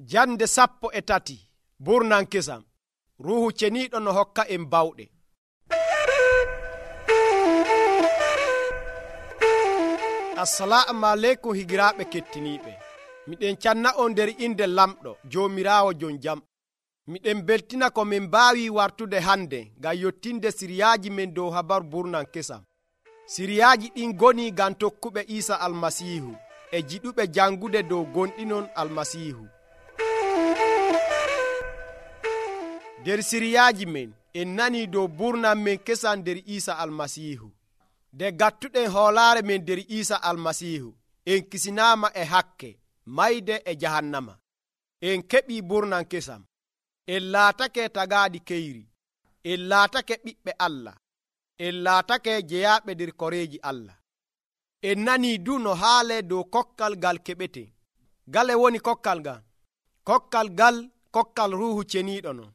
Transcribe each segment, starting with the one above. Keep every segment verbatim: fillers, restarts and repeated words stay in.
Jande sappo e tati burnan kesam. Ruuhu ceniiɗo no hokka en bawɗe. Assalamu aleykum higiraaɓe kettiniiɓe. Miɗen canna on nder inde lamɗo Joomiraawo jon jam. Miɗen beltina ko min mbaawi wartude hande ngam yottinde siriyaaji men dow habaru burnan kesam. Siriyaaji ɗin ngoni ngam tokkuɓe Iisa Almasiihu e jiɗuɓe jangude dow gonɗinon Almasiihu. Nder siriyaaji men en nani dow burnan men kesam nder Iisa Almasiihu. Nde gattuɗen hoolaare men nder Iisa Almasiihu en kisinaama e hakke mayde e jahannama. En keɓii burnan kesam. En laatake tagaaɗi keyri. En laatake ɓiɓɓe Allah. En laatake jeyaaɓe nder koreeji Allah. En nanii du no haalee dow kokkal ngal keɓeten. Gale woni kokkal ngal? Kokkal ngal kokkal Ruuhu Ceniiɗo non.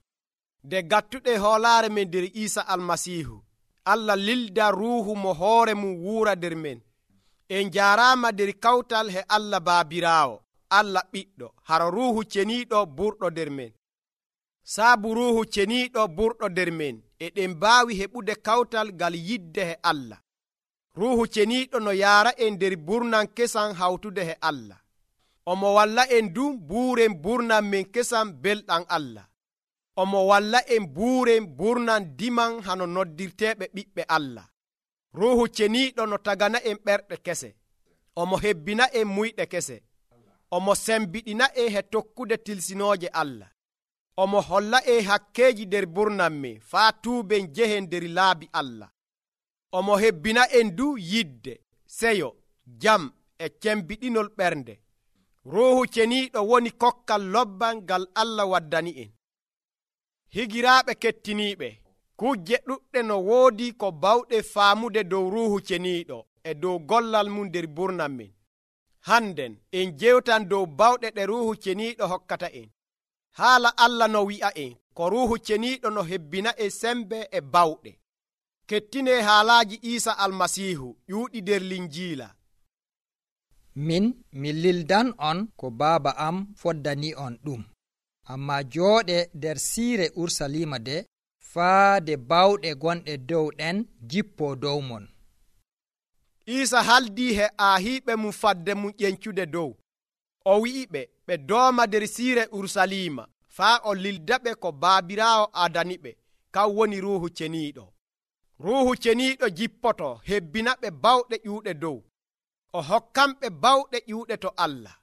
Nde gattuɗen hoolaare men nder Iisa Almasiihu, Allah lilda ruuhu mo hoore mum wuura nder men. En jaaraama nder kawtal he Allah Baabiraawo, Allah Ɓiɗɗo, hara Ruuhu Ceniiɗo burɗo nder men. Saabu Ruuhu Ceniiɗo burɗo nder men, eɗen mbaawi heɓude kawtal ngal yidde he Allah. Ruuhu Ceniiɗo no yaara en nder burnan kesam hawtude he Allah. Omo walla en du buuren burnan men kesam belɗam Allah. Omo walla en buuren burnan diman hano noddirteeɓe ɓiɓɓe Allah. Ruuhu Ceniiɗo no tagana en ɓerɗe kese. Omo hebbina en muyɗe kese. Omo sembiɗina en he tokkude tilsinooje Allah. Omo holla en hakkeeji nder burnan men faa tuuben jehen nder laabi Allah. Omo hebbina en du yidde, seyo, jam e cembiɗinol ɓernde. Ruuhu Ceniiɗo woni kokkal lobban ngal Allah waddani en. Higiraaɓe kettiniiɓe, kujje ɗuɗɗe no woodi ko bawɗe faamude dow Ruuhu Ceniiɗo e dow gollal mum nder burnan men. Hannden en jewtan dow bawɗe ɗe Ruuhu Ceniiɗo hokkata en. Haala Allah no wi'a en ko Ruuhu Ceniiɗo no hebbina en sembe e bawɗe. Kettinee haalaaji Iisa Almasiihu ƴuuɗi nder Linjiila. Min mi lildan on ko Baaba am foddani on ɗum. Amma jooɗe nder siire Urusalima de faade bawɗe gonɗe dow ɗen jippoo dow mon. Iisa haldii he aahiiɓe mum fadde mum ƴencude dow. O wi'iɓe ɓe dooma nder siire Urusalima faa o lildaɓe ko Baabiraawo adaniɓe, kan woni Ruuhu Ceniiɗo. Ruuhu Ceniiɗo jippoto hebbinaɓe bawɗe ƴuuɗe dow. O hokkanɓe bawɗe ƴuuɗe to Allah.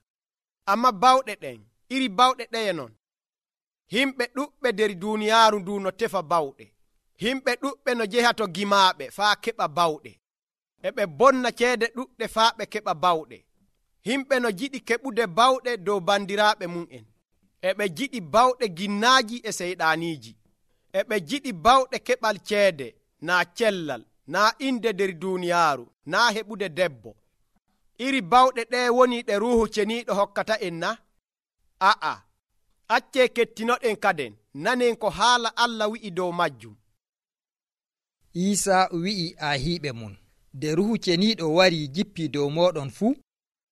Amma bawɗe ɗen iri bawɗe ɗeye non? Himɓe ɗuɓɓe nder duuniyaaru ndu no tefa bawɗe. Himɓe ɗuɓɓe no jeha to gimaaɓe faa keɓa bawɗe. E ɓe bonna ceede ɗuɗɗe faa ɓe keɓa bawɗe. Himɓe no jiɗi keɓude bawɗe dow bandiraaɓe mum'en. E ɓe jiɗi bawɗe ginnaaji e seyɗaaniiji. E ɓe jiɗi bawɗe keɓal ceede, naa cellal, naa inde nder duuniyaaru, naa heɓude debbo. Iri bawɗe ɗee woni ɗe Ruuhu Ceniiɗo hokkata en na? A'a. Accee kettinoɗen kaden nanen ko haala Allah wi'i dow majjum. Iisa wi'i aahiiɓe mum, nde Ruuhu Ceniiɗo warii jippii dow mooɗon fuu,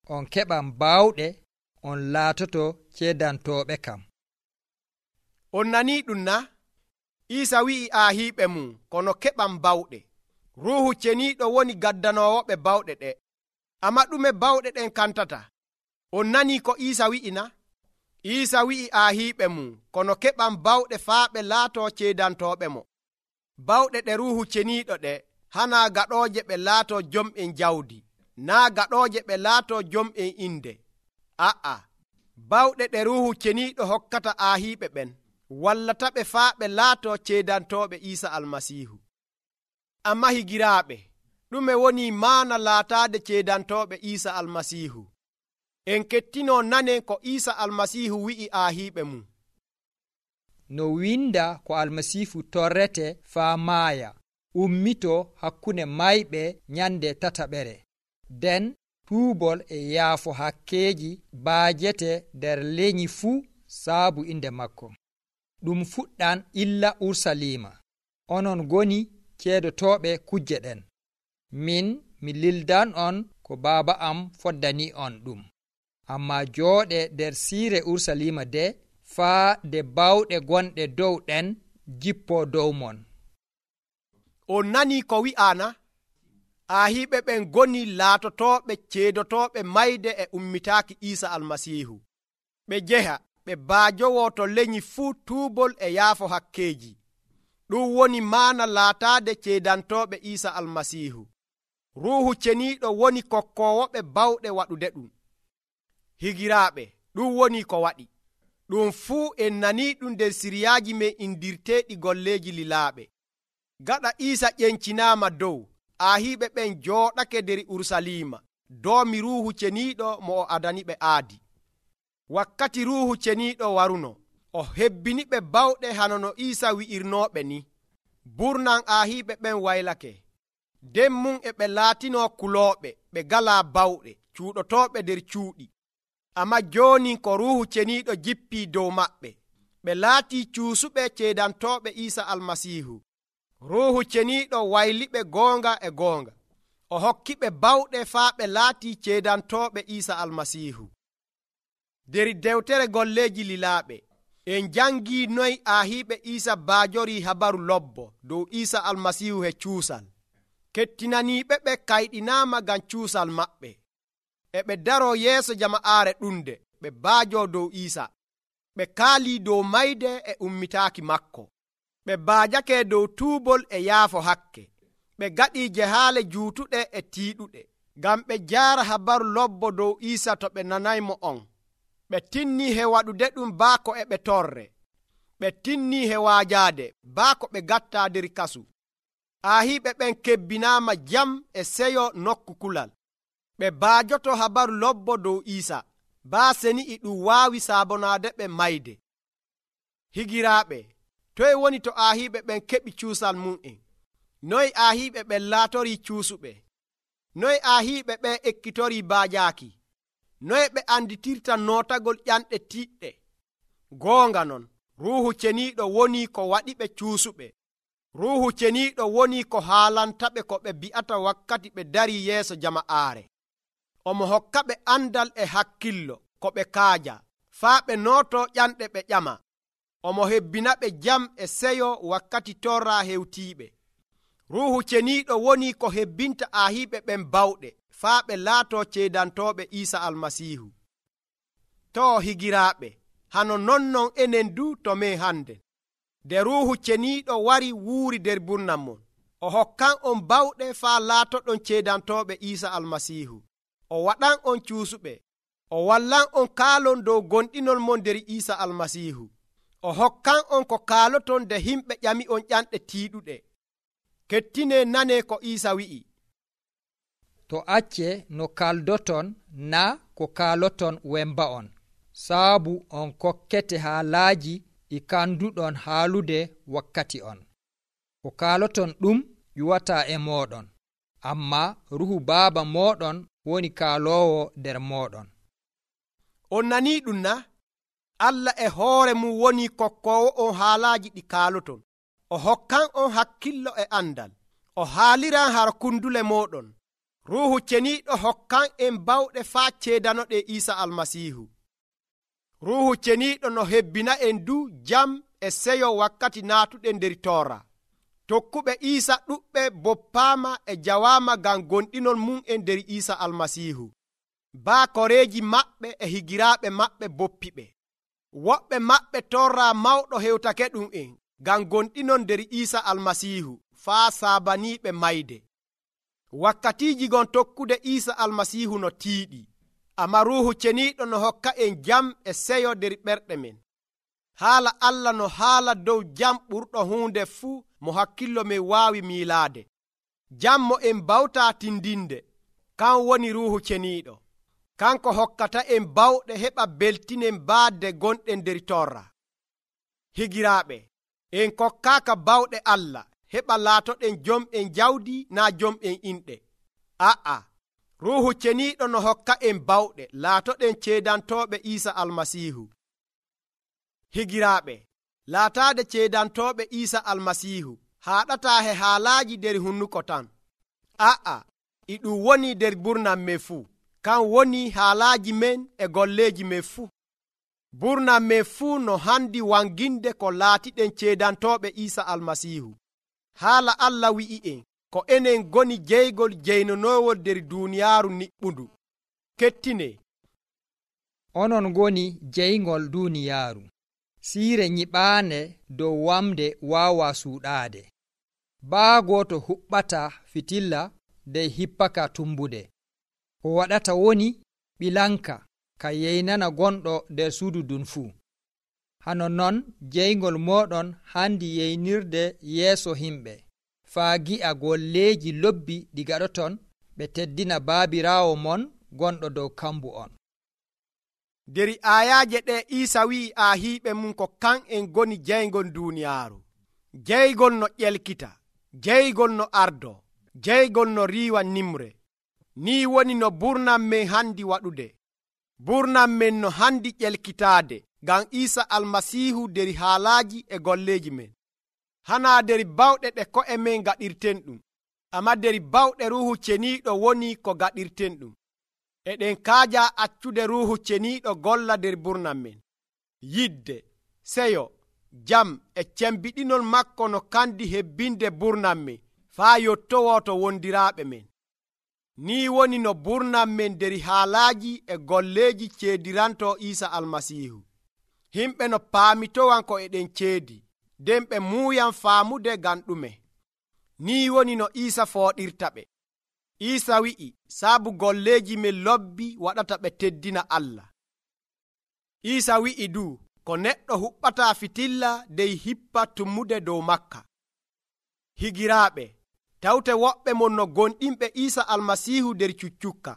on keɓan baawɗe, on laatoto ceedantooɓe kam. On nanii ɗum na? Iisa wi'i aahiiɓe mum kono keɓan bawɗe. Ruuhu Ceniiɗo woni gaddanoowoɓe bawɗe ɗe. Amma ɗume bawɗe ɗen kantata? On nanii ko Iisa wi'i na? Iisa wi'i aahiiɓe mum kono keɓan bawɗe faa ɓe laatoo ceedantooɓe mo. Bawɗe ɗe Ruuhu Ceniiɗo ɗe hanaa gaɗooje ɓe laatoo jom'en jawdi, naa gaɗooje ɓe laatoo jom'en inde. A'a, bawɗe ɗe Ruuhu Ceniiɗo hokkata aahiiɓe ɓen wallataɓe faa ɓe laatoo ceedantooɓe Iisa Almasiihu. Amma higiraaɓe, ɗume woni maana laataade ceedantooɓe Iisa Almasiihu? En kettinoo nanen ko Iisa Almasiihu wi'i aahiiɓe mum. No winda ko Almasiihu torrete faa maaya, ummito hakkunde mayɓe nyande tataɓere. Den tuubol e yaafo hakkeeji baajete nder leñi fuu saabu inde makko. Ɗum fuɗɗan illa Urusalima. Onon goni ceedotooɓe kujje ɗen. Min mi lildan on ko Baaba am foddani on ɗum. amma jooɗe nder siire urusalima de faa nde bawɗe gonɗe dow ɗen jippo dow mon. On nani ko wi'aana? Aahiɓe ɓen goni laatotooɓe ceedotooɓe mayde e ummitaaki Iisa Almasiihu. Ɓe njeha ɓe baajowo to lenyi fuu tuubol e yaafo hakkeeji. Ɗum woni maana laataade ceedantooɓe Iisa Almasiihu. Ruuhu Ceniiɗo woni kokkoowoɓe bawɗe waɗude ɗum. Higiraaɓe, ɗum woni ko waɗi. Ɗum fuu en nanii ɗum nder siriyaaji men indirteeɗi golleeji lilaaɓe. Gaɗa Iisa ƴencinaama dow, aahiɓe ɓen jooɗake nder Urusalima doomi Ruuhu Ceniiɗo mo o adaniɓe aadi. Wakkati Ruuhu Ceniiɗo waruno, o hebbiniɓe bawɗe hano no Iisa wi'irnooɓe ni. Burnan aahiɓe ɓen waylake. nden mum e ɓe laatino kulooɓe ɓe galaa bawɗe cuuɗotooɓe nder cuuɗi. Amma jooni ko Ruuhu Ceniiɗo jippii dow maɓɓe, ɓe laatii cuusuɓe ceedantooɓe Iisa Almasiihu. Ruuhu Ceniiɗo wayliɓe goonga e goonga. O hokkiɓe bawɗe faa ɓe laatii ceedantooɓe Iisa Almasiihu. Der dewtere golleeji lilaaɓe en jangii noy aahiiɓe Iisa baajorii habaru lobbo dow Iisa Almasiihu he cuusal. Kettinaniiɓe ɓe kayɗinaama ngam cuusal maɓɓe. E ɓe daroo yeeso jama'aare ɗunde ɓe baajoo dow Iisa. Ɓe kaalii dow mayde e ummitaaki makko. Ɓe baajake dow tuubol e yaafo hakke. Ɓe gaɗii jehaale juutuɗe e tiiɗuɗe ngam ɓe jaara habaru lobbo dow Iisa to ɓe nanaymo on. Ɓe tinnii he waɗude ɗum baako e ɓe torre. Ɓe tinnii he waajaade baako ɓe gattaa nder kasu. Aahiiɓe ɓen kebbinaama jam e seyo nokku kulal. Ɓe baajoto habaru lobbo dow Iisa, baa seni e ɗum waawi saabonaade ɓe mayde. Higiraaɓe, toye woni to aahiiɓe ɓen keɓi cuusal mum'en? Noye aahiiɓe ɓen laatorii cuusuɓe? Noye aahiiɓe ɓen ekkitorii baajaaki? Noye ɓe anditirta nootagol ƴanɗe tiiɗɗe? Goonga non, Ruuhu Ceniiɗo woni ko waɗiɓe cuusuɓe. Ruuhu Ceniiɗo woni ko haalantaɓe ko ɓe bi'ata wakkati ɓe darii yeeso jama'aare. Omo hokkaɓe andal e hakkillo ko ɓe kaaja, faa ɓe nooto ƴanɗe ɓe ƴama. Omo hebbinaɓe jam e seyo wakkati torraa hewtiiɓe. Ruuhu Ceniiɗo woni ko hebbinta aahiiɓe ɓen bawɗe, faa ɓe laatoo ceedantooɓe Iisa Almasiihu. Too higiraaɓe, hano nonnon enen du to men hande. Nde Ruuhu Ceniiɗo wari wuuri nder burnam mon, o hokkan on bawɗe faa laatoɗon ceedantooɓe Iisa Almasiihu. O waɗan on cuusuɓe. O wallan on kaalon dow gonɗinol mon nder Iisa Almasiihu. O hokkan on ko kaaloton nde himɓe ƴami on ƴanɗe tiiɗuɗe. Kettinee nanee ko Iisa wi'i. To acce no kaldoton na ko kaaloton wemba on, saabu on kokkete haalaaji ɗi kanduɗon haalude wakkati on. Ko kaaloton ɗum ƴuwataa e mooɗon, amma Ruhu Baaba mooɗon woni kaaloowo nder mooɗon. On nanii ɗum na? Allah e hoore mum woni kokkoowo on haalaaji ɗi kaaloton. O hokkan on hakkillo e andal. O haaliran har kundule mooɗon. Ruuhu Ceniiɗo hokkan en bawɗe faa ceedanoɗe Iisa Almasiihu. Ruuhu Ceniiɗo no hebbina en du jam e seyo wakkati naatuɗen nder toora. Tokkuɓe Iisa ɗuɓɓe boppaama e jawaama ngam gonɗinol mum en nder Iisa Almasiihu. Baa koreeji maɓɓe e higiraaɓe maɓɓe boppiɓe. Woɓɓe maɓɓe torraa mawɗo hewtake ɗum en ngam gonɗinon nder Iisa Almasiihu faa saabaniiɓe mayde. Wakkatiiji gon tokkude Iisa Almasiihu no tiiɗi, amma Ruuhu Ceniiɗo no hokka en jam e seyo nder ɓerɗe men. Haala Allah no haala dow jam ɓurɗo huunde fuu mo hakkillo men waawi miilaade. Jam mo en bawtaa tindinde, kan woni Ruuhu Ceniiɗo. Kanko hokkata en bawɗe heɓa beltinen baadde gonɗen nder torra. Higiraaɓe, en kokkaaka bawɗe Allah heɓa laatoɗen jom'en jawdi naa jom'en inɗe. A'a, Ruuhu Ceniiɗo no hokka en bawɗe laatoɗen ceedantooɓe Iisa Almasiihu. Higiraaɓe, laataade ceedantooɓe Iisa Almasiihu haaɗataa he haalaaji nder hunnuko tan. A'a, e ɗum woni nder burnam men fuu. kan woni haalaaji men e golleeji men fuu. Burnam men fuu no handi wanginde ko laatiɗen ceedantooɓe Iisa Almasiihu. Haala Allah wi'i'en ko enen goni jeygol jeynonoowol nder duuniyaaru niɓɓundu. Kettine, onon goni jeygol duuniyaaru. Siire nyiɓaande dow wamde waawa suuɗaade. Baago to huɓɓata fitilla dey hippaka tumbude. Ko waɗata woni ɓilanka ka yeynana gonɗo nder suudu ndun fuu. Hano non jeygol mooɗon handi yeynirde yeeso himɓe faa gi'a golleeji lobbi ɗi gaɗoton ɓe teddina baabiraawo mon gonɗo dow kambu on. nder ayaaje ɗe Iisa wi'i aahiiɓe mum ko kan en goni jeygol duuniyaaru, jeygol no ƴelkita, jeygol no ardo, jeygol no riiwa nimre. Ni woni no burnam men handi waɗude. Burnam men no handi ƴelkitaade ngam Iisa Almasiihu nder haalaaji e golleeji men. Hanaa nder bawɗe ɗe ko'e men gaɗirten ɗum, amma nder bawɗe Ruuhu Ceniiɗo woni ko gaɗirten ɗum. Eɗen kaaja accude Ruuhu Ceniiɗo golla nder burnam men. Yidde, seyo, jam e cembiɗinol makko no kandi hebbinde burnam men faa yottowo to wondiraaɓe men. Ni woni no burnam men nder haalaaji e golleeji ceediranto Iisa Almasiihu. Himɓe no paamitowan ko eɗen ceedi, nden ɓe muuyan faamude ngam ɗume. Ni woni no Iisa fooɗirta ɓe. Iisa wi'i saabu golleeji men lobbi waɗata ɓe teddina Allah. Iisa wi'i du ko neɗɗo huɓɓata fitilla dey hippa tummude dow makka. Higiraaɓe, tawte woɓɓe mon no gonɗinɓe Iisa Almasiihu nder cuccukka.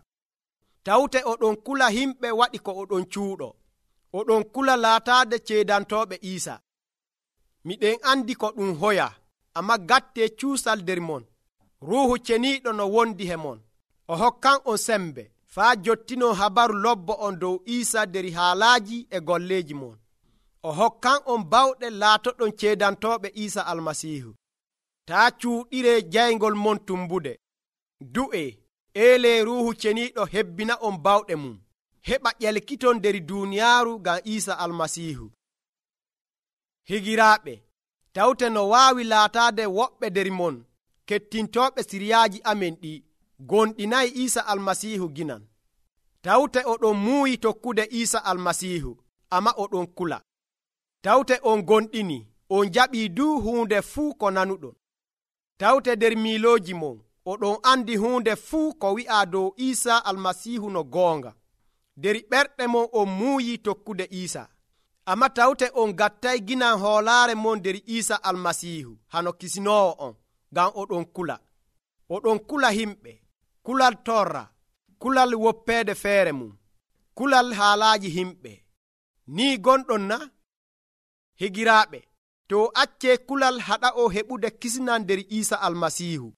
Tawte oɗon kula himɓe waɗi ko oɗon cuuɗo. Oɗon kula laataade ceedantooɓe Iisa. Miɗen andi ko ɗum hoya, amma gatte cuusal nder mon. Ruuhu Ceniiɗo no wondi he mon. O hokkan on sembe faa jottino habaru lobbo on dow Iisa nder haalaaji e golleeji mon. O hokkan on bawɗe laatoɗon ceedantooɓe Iisa Almasiihu. Taa cuuɗire jaygol mon tumbude. Du'e, eele Ruuhu Ceniiɗo hebbina on bawɗe mum. Heɓa ƴelkiton nder duuniyaaru ngam Iisa Almasiihu. Higiraaɓe, tawte no waawi laataade woɓɓe nder mon kettintooɓe siriyaaji amen ɗi gonɗinayi Iisa Almasiihu ginan. Tawte oɗon muuyi tokkude Iisa Almasiihu, amma oɗon kula. Tawte on gonɗini, on jaɓii du huunde fuu ko nanuɗon. Tawte nder miilooji mon, oɗon andi huunde fuu ko wi'a dow Iisa Almasiihu no goonga. Nder ɓerɗe mon on muuyi tokkude Iisa, amma tawte on gattay ginan hoolaare mon nder Iisa Almasiihu hano kisinoowo on, ngam oɗon kula. Oɗon kula himɓe, kulal torra, kulal woppeede feere mum, kulal haalaaji himɓe. Ni gonɗon na? Higiraaɓe, to accee kulal haɗa o heɓude kisnan nder Iisa Almasiihu.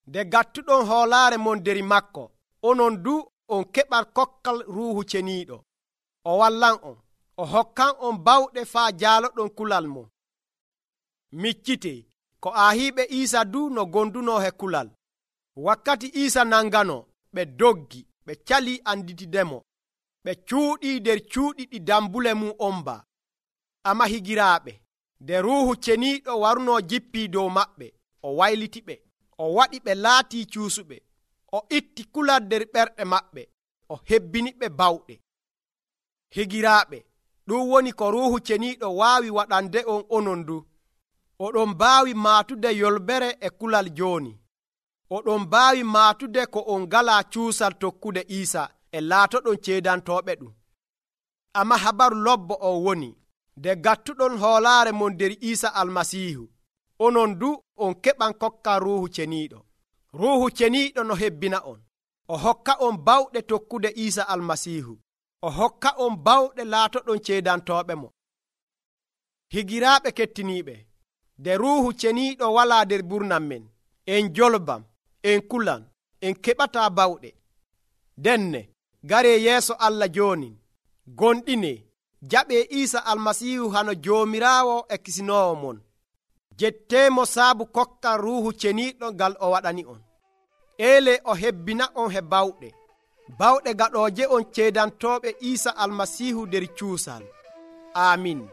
Nde gattuɗon hoolaare mon nder makko, onon du on keɓat kokkal Ruuhu Ceniiɗo. O wallan on, o hokkan on bawɗe faa jaaloɗon kulal mon. Miccite, ko aahiiɓe Iisa du no gonduno he kulal. Wakkati Iisa nangano, ɓe doggi, ɓe cali anditidemo. Ɓe cuuɗii nder cuuɗi ɗi dambule mum omba. Amma higiraaɓe, nde Ruuhu Ceniiɗo waruno jippii dow maɓɓe, o waylitiɓe, o waɗi ɓe laatii cuusuɓe, o itti kulal nder ɓerɗe maɓɓe, o hebbiniɓe bawɗe. Higiraaɓe, ɗum woni ko Ruuhu Ceniiɗo waawi waɗande on onon du. Oɗon mbaawi maatude yolbere e kulal jooni. Oɗon mbaawi maatude ko on ngalaa cuusal tokkude Iisa e laatoɗon ceedantooɓe ɗum. Amma habaru lobbo o woni, nde gattuɗon hoolaare mon nder Iisa Almasiihu, onon du on keɓan kokkan Ruuhu Ceniiɗo. Ruuhu Ceniiɗo no hebbina on. O hokka on bawɗe tokkude Iisa Almasiihu. O hokka on bawɗe laatoɗon ceedantooɓe mo. Higiraaɓe kettiniiɓe, nde Ruuhu Ceniiɗo walaa nder burnam men, en jolbam, en kulan, en keɓataa bawɗe. Denne, garee yeeso Allah jooni, gonɗine, jaɓee Iisa Almasiihu hano Joomiraawo e kisinoowo mon. Jetteemo saabu kokkan Ruuhu Ceniiɗo ngal o waɗani on. Eele o hebbina on he bawɗe. bawɗe gaɗooje on ceedantoɓe Iisa almasiihu nder cuusal. Amin.